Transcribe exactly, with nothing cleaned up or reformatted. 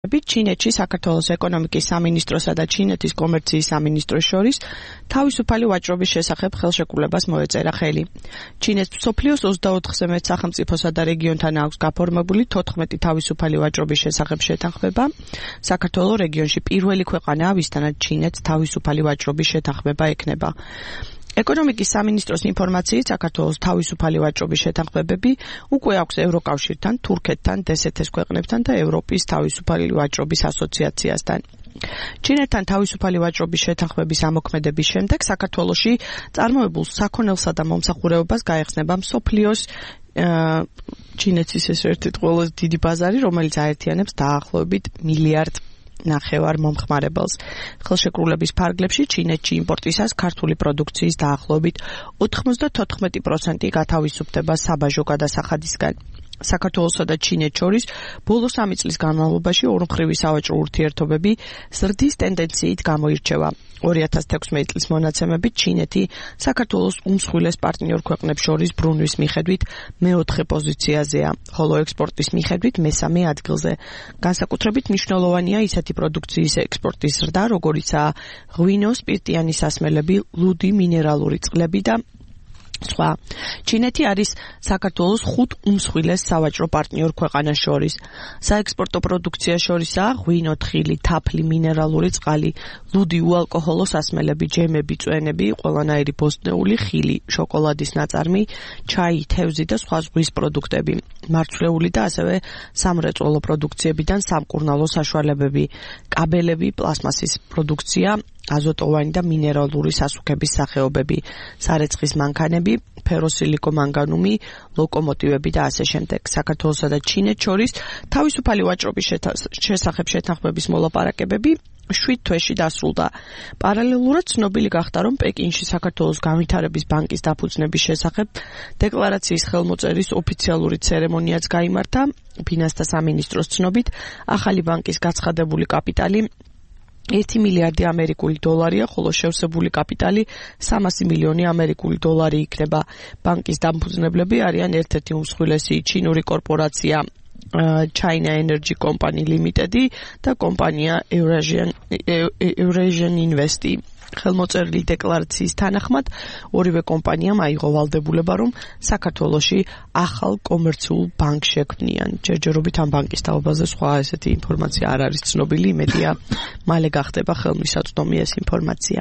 ჩინეთში საქართველოს ეკონომიკის სამინისტროსა და ჩინეთის კომერციის სამინისტროს შორის თავისუფალი ვაჭრობის შესახებ ხელშეკრულებას მოეწერა ხელი. ჩინეთს მსოფლიოს ოცდაოთხზე მეტ სახელმწიფოსა და რეგიონთან აქვს გაფორმებული თოთხმეტი თავისუფალი ვაჭრობის შესახებ შეთანხმება. საქართველოს რეგიონში პირველი ქვეყანაა, ვისთანაც ჩინეთს თავისუფალი ვაჭრობის შეთანხმება ექნება. ეკონომიკის სამინისტროს ინფორმაციით საქართველოს თავისუფალი ვაჭრობის შეთანხმებები უკვე აქვს ევროკავშირთან, თურქეთთან, დსთ-ს ქვეყნებთან და ევროპის თავისუფალი ვაჭრობის ასოციაციასთან. ჩინეთთან თავისუფალი ვაჭრობის შეთანხმების ამოქმედების შემდეგ საქართველოში წარმოებულ საქონელსა და მომსახურეობას გაეხსნება მსოფლიოს ჩინეთის ეს ერთ-ერთი ყველაზე დიდი ბაზარი, რომელიც აერთიანებს დაახლოებით მილიარდ ნახევარ მომხმარებელს. ხელშეკრულების ფარგლებში ჩინეთში იმპორტისას ქართული პროდუქციის დაახლოებით ოთხმოცდათოთხმეტი პროცენტი გათავისუფლდება საბაჟო გადასახადისგან. საქართველოსა და ჩინეთს შორის ბოლო სამი წლის განმავლობაში ორმხრივი სავაჭრო ურთიერთობები ზრდის ტენდენციით გამოირჩევა. ორი ათას თექვსმეტი წლის მონაცემებით ჩინეთი საქართველოს უმსხვილეს პარტნიორ ქვეყნებს შორის ბრუნვის მიხედვით მეოთხე პოზიციაზეა, ხოლო ექსპორტის მიხედვით მესამე ადგილზე. განსაკუთრებით მნიშვნელოვანია ისეთი პროდუქციის ექსპორტის ზრდა, როგორიცაა ღვინო, სპირტიანი სასმელები, ლუდი, მინერალური წყლები და სხვა. ჩინეთი არის საქართველოს ხუთ უმსხვილეს სავაჭრო პარტნიორ ქვეყანას შორის. საექსპორტო პროდუქცია შორისაა ღვინო, თხილი, თაფლი, მინერალური წყალი, ლუდი, უალკოჰოლო სასმელები, ჯემები, წვენები, ყველანაირი ბოსტნეული ხილი, შოკოლადის ნაწარმი, ჩაი, თევზი და სხვა ზღვის პროდუქტები, მარცვლეული და ასევე სამრეწველო პროდუქციებიდან სამკურნალო საშუალებები, კაბელები, პლასმასის პროდუქცია, აზოტოვანი და მინერალური სასუქების სახეობები, სარეცხის მანქანები, ფეროსილიკომანგანუმი, ლოკომოტივები და ასე შემდეგ. საქართველოსა და ჩინეთს შორის თავისუფალი ვაჭრობის შესახებ შეთანხმების მოლაპარაკებები შვიდ თვეში დასრულდა. პარალელურად ცნობილი გახდა, რომ პეკინში საქართველოს განვითარების ბანკის დაფუძნების შესახებ დეკლარაციის ხელმოწერის ოფიციალური ცერემონიაც გაიმართა. ფინანსთა სამინისტროს ცნობით, ახალი ბანკის გაცხადებული კაპიტალი ერთი მილიარდი ამერიკული დოლარია, ხოლო შევსებული კაპიტალი სამასი მილიონი ამერიკული დოლარი იქნება. ბანკის დამფუძნებლები არიან ერთ-ერთი უმსხვილესი ჩინური კორპორაცია China Energy Company Limited და კომპანია Eurasian, Eurasian Invest. ხელმოწერილი დეკლარაციის თანახმად ორივე კომპანიამ აიღო ვალდებულება, რომ საქართველოში ახალ კომერციულ ბანკს შექმნიან. ჯერჯერობით ამ ბანკის თაობაზე სხვა ესეთი ინფორმაცია არ არის ცნობილი, იმედია მალე გახდება ხელმისაწვდომი ეს ინფორმაცია.